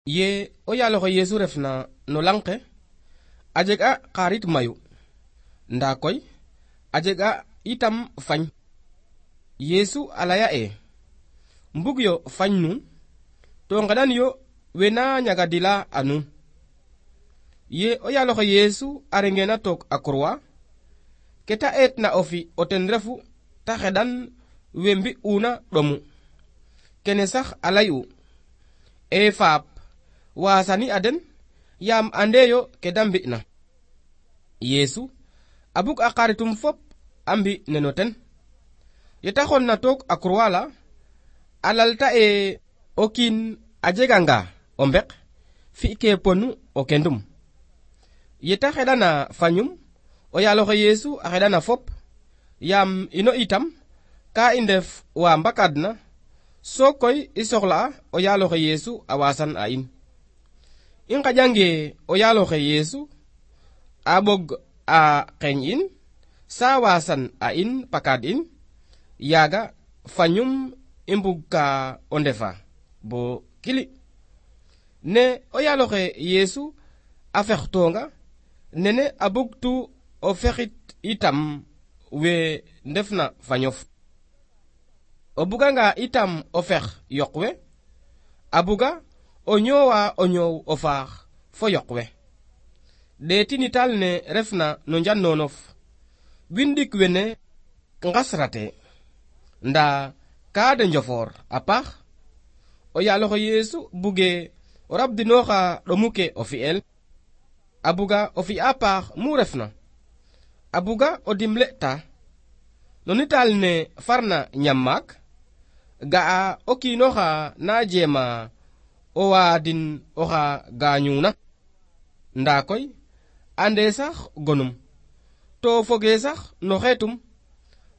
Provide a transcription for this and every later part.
ye o yaaloxe Yesu refna no lang ke a jeg'a xarit mayu nda koy a jeg'a itam fañ. Yesu a laya mbug yo fañ nuun to ngeɗan yo we na ñagadila a nuun. Ye o yaaloxe Yesu a rengena took a croix ke ta eetna o fi o ten refu ta xeɗan we mbi'una ɗomu. Kene sax a lay'u faap wasani a den yaam andeyo ke da mbi'na. Yesu a bug a xaritum fop a mbi neno ten. Ye ta xonna took a croix la a lalta o kiin a jeganga o mbek fi'ke ponu o kendum. Ye ta xeɗana fañum o yaaloxe Yesu a xeɗana fop yaam ino itam ka i ndef wa mbakadna so koy i soxla'a o yaaloxe Yesu a wasan a in. I ngaƴange o yaaloxe Yesu a ɓog a qeñ in sa wasan a in pakad in yaga fañum i mbug ka o ndefa bo kili. Ne o yaaloxe Yesu a fextonga nene a bugtu o fexit itam we ndefna fañof. O buganga itam o fex yoq we a buga o ñoowa o ñoow o faax fo yoq we. Ɗeeti nital ne refna no njannonof windik wene ngasrate nda ka de njofor a paax. O yaaloxe Yesu buge o rabdinooxa ɗomu ke o fi'el a buga o fi'a paax mu refna. A buga o dimle ta no nital ne farna ñam maak ga'a o kiinoxa na jeema o waadin oxa gaañuna nda koy ande sax gonum to foge sax no xeetum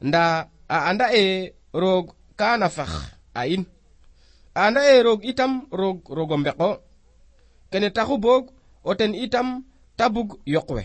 nda a anda roog kana fex a in. A anda roog itam roog o mbeko kene taxu boog o ten itam ta bug yoq we.